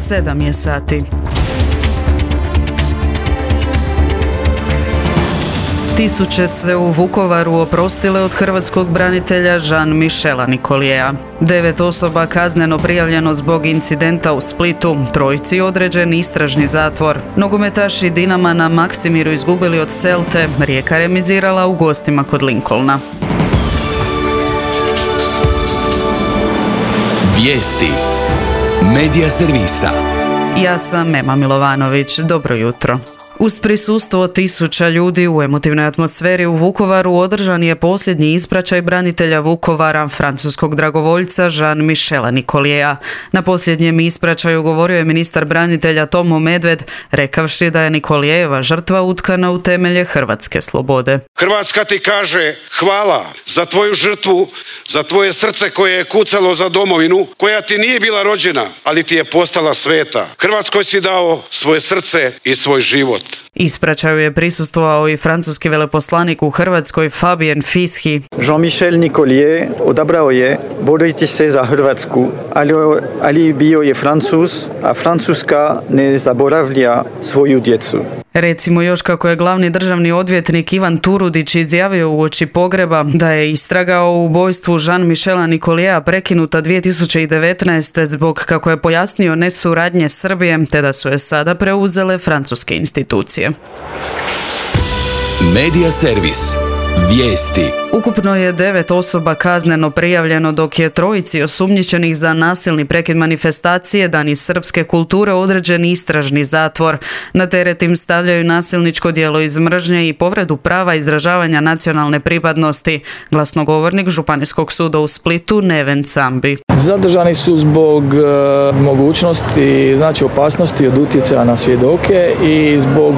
7 je sati. Tisuće se u Vukovaru oprostile od hrvatskog branitelja Jean-Michela Nicoliera. 9 osoba kazneno prijavljeno zbog incidenta u Splitu, 3 određen istražni zatvor. Nogometaši Dinama na Maksimiru izgubili od Celte, Rijeka remizirala u gostima kod Lincolna. Vijesti Medija servisa. Ja sam Ema Milovanović, dobro jutro. Uz prisustvo tisuća ljudi u emotivnoj atmosferi u Vukovaru održan je posljednji ispraćaj branitelja Vukovara, francuskog dragovoljca Jean-Michela Nicoliera. Na posljednjem ispraćaju govorio je ministar branitelja Tomo Medved, rekavši da je Nicolierova žrtva utkana u temelje hrvatske slobode. Hrvatska ti kaže hvala za tvoju žrtvu, za tvoje srce koje je kucalo za domovinu, koja ti nije bila rođena, ali ti je postala sveta. Hrvatskoj si dao svoje srce i svoj život. Ispraćaju je prisustvovao i francuski veleposlanik u Hrvatskoj Fabien Fischi. Jean-Michel Nicolier odabrao je boriti se za Hrvatsku, ali bio je Francuz, a Francuska ne zaboravlja svoju djecu. Recimo još kako je glavni državni odvjetnik Ivan Turudić izjavio uoči pogreba da je istraga o ubojstvu Jean-Michela Nicoliera prekinuta 2019. zbog, kako je pojasnio, nesuradnje Srbije, te da su je sada preuzele francuske institucije. Medija servis. Vijesti. Ukupno je 9 osoba kazneno prijavljeno, dok je 3 osumnjičenih za nasilni prekid manifestacije Dani srpske kulture određen istražni zatvor. Na teret im stavljaju nasilničko djelo iz mržnje i povredu prava izražavanja nacionalne pripadnosti. Glasnogovornik Županijskog suda u Splitu Neven Cambi. Zadržani su zbog mogućnosti, opasnosti od utjecaja na svjedoke i zbog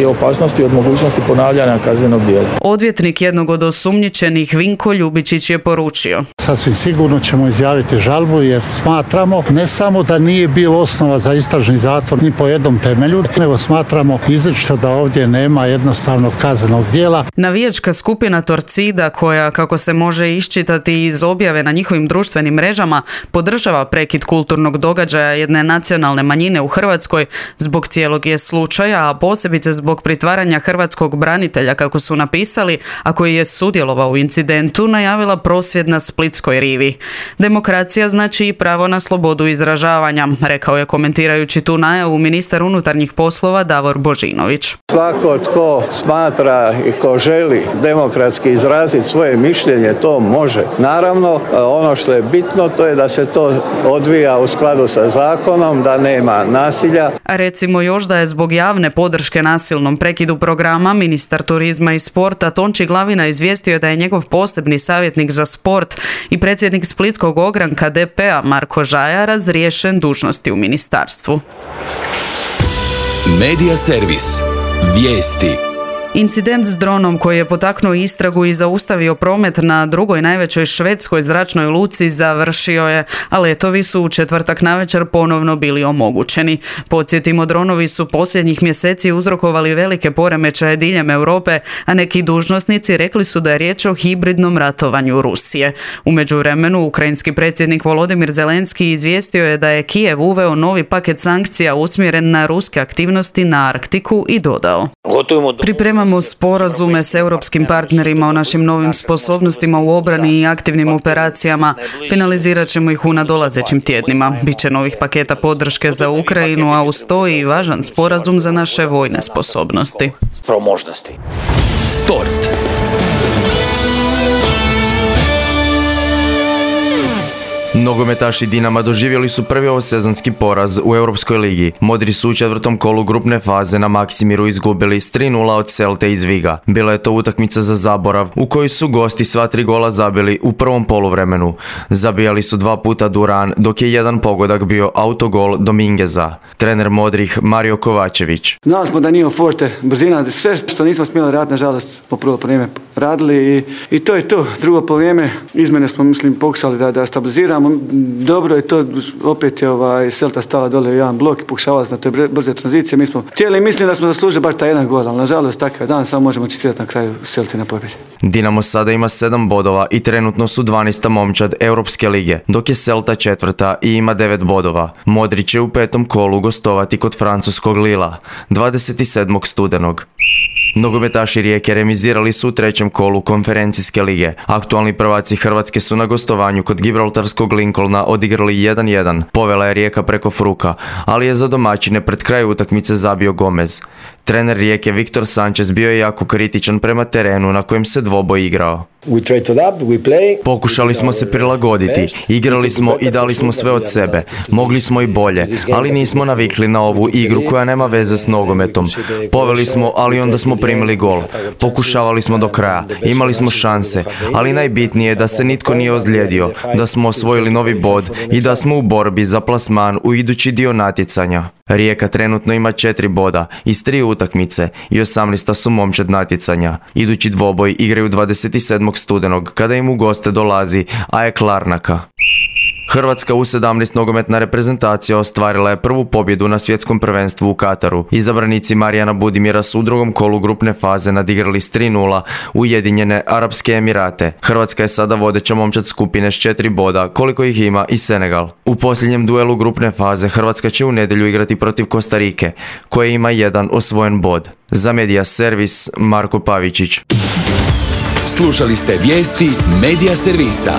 opasnosti od mogućnosti ponavljanja kaznenog djela. Odvjetnik jednog od osumnjičenih Vinko Ljubičić je poručio: sasvim sigurno ćemo izjaviti žalbu jer smatramo ne samo da nije bilo osnova za istražni zatvor ni po jednom temelju, nego smatramo izričito da ovdje nema jednostavnog kaznenog djela. Navijačka skupina Torcida, koja, kako se može iščitati iz objave na njihovim društvenim mrežama, podržava prekid kulturnog događaja jedne nacionalne manjine u Hrvatskoj, zbog cijelog je slučaja, a posebice zbog pritvaranja hrvatskog branitelja, kako su napisali, a koji je sudjelovao u incidentu, najavila prosvjed na Splitskoj rivi. Demokracija znači i pravo na slobodu izražavanja, rekao je komentirajući tu najavu ministar unutarnjih poslova Davor Božinović. Svako tko smatra i ko želi demokratski izraziti svoje mišljenje, to može. Naravno, ono što je bitno, to je da se to odvija u skladu sa zakonom, da nema nasilja. A recimo još da je zbog javne podrške nasilnom prekidu programa ministar turizma i sporta Tonči Glavina izvijestio da je njegov posebni savjetnik za sport i predsjednik splitskog ogranka DP-a Marko Žaja razriješen dužnosti u ministarstvu. Medija servis. Vijesti. Incident s dronom koji je potaknuo istragu i zaustavio promet na drugoj najvećoj švedskoj zračnoj luci završio je, a letovi su u četvrtak navečer ponovno bili omogućeni. Podsjetimo, dronovi su posljednjih mjeseci uzrokovali velike poremećaje diljem Europe, a neki dužnosnici rekli su da je riječ o hibridnom ratovanju Rusije. U međuvremenu, ukrajinski predsjednik Volodimir Zelenski izvijestio je da je Kijev uveo novi paket sankcija usmjeren na ruske aktivnosti na Arktiku i dodao: pripremamo sporazume s europskim partnerima o našim novim sposobnostima u obrani i aktivnim operacijama. Finalizirat ćemo ih u nadolazećim tjednima. Biće novih paketa podrške za Ukrajinu, a uz to i važan sporazum za naše vojne sposobnosti. Sport. Nogometaši Dinama doživjeli su prvi ovosezonski poraz u Europskoj ligi. Modri su u četvrtom kolu grupne faze na Maksimiru izgubili s 3:0 od Celte iz Viga. Bila je to utakmica za zaborav u kojoj su gosti sva 3 gola zabili u prvom poluvremenu. Zabijali su 2 puta Duran, dok je jedan pogodak bio autogol Domingueza. Trener modrih Mario Kovačević: znali smo da nije forte, brzina, sve što nismo smjeli raditi, nažalost, po prvo vrijeme radili i to je to. Drugo polovrijeme izmjene smo, pokušali da stabiliziramo. igramo dobro i to opet je Celta stala dole u jedan blok i pokušavala na te brze tranzicije. Mi smo htjeli, mislim da smo zaslužili bar taj jedan gol, ali nažalost takav dan samo možemo čestitati na kraju Celti na pobjedi. Dinamo sada ima 7 bodova i trenutno su 12. momčad Europske lige, dok je Celta 4. i ima 9 bodova. Modrić će u 5. kolu gostovati kod francuskog Lila 27. studenog. Nogometaši Rijeke remizirali su u 3. kolu konferencijske lige. Aktualni prvaci Hrvatske su na gostovanju kod gibraltarskog Lincolna odigrali 1-1. Povela je Rijeka preko Fruka, ali je za domaćine pred kraj utakmice zabio Gomez. Trener Rijeke Viktor Sanchez bio je jako kritičan prema terenu na kojem se dvoboj igrao. Pokušali smo se prilagoditi, igrali smo i dali smo sve od sebe, mogli smo i bolje, ali nismo navikli na ovu igru koja nema veze s nogometom. Poveli smo, ali onda smo primili gol. Pokušavali smo do kraja, imali smo šanse, ali najbitnije je da se nitko nije ozlijedio, da smo osvojili novi bod i da smo u borbi za plasman u idući dio natjecanja. Rijeka trenutno ima 4 boda iz 3 utakmice i 18. su momčad natjecanja. Idući dvoboj igraju 27. studenog kada im u goste dolazi AEK Larnaka. Hrvatska U17 nogometna reprezentacija ostvarila je prvu pobjedu na svjetskom prvenstvu u Kataru. Izabranici Marijana Budimira su u drugom kolu grupne faze nadigrali s 3-0 Ujedinjene Arapske Emirate. Hrvatska je sada vodeća momčad skupine s 4 boda, koliko ih ima i Senegal. U posljednjem duelu grupne faze Hrvatska će u nedjelju igrati protiv Kostarike, koje ima 1 osvojen bod. Za Media Servis, Marko Pavičić. Slušali ste vijesti Media Servisa.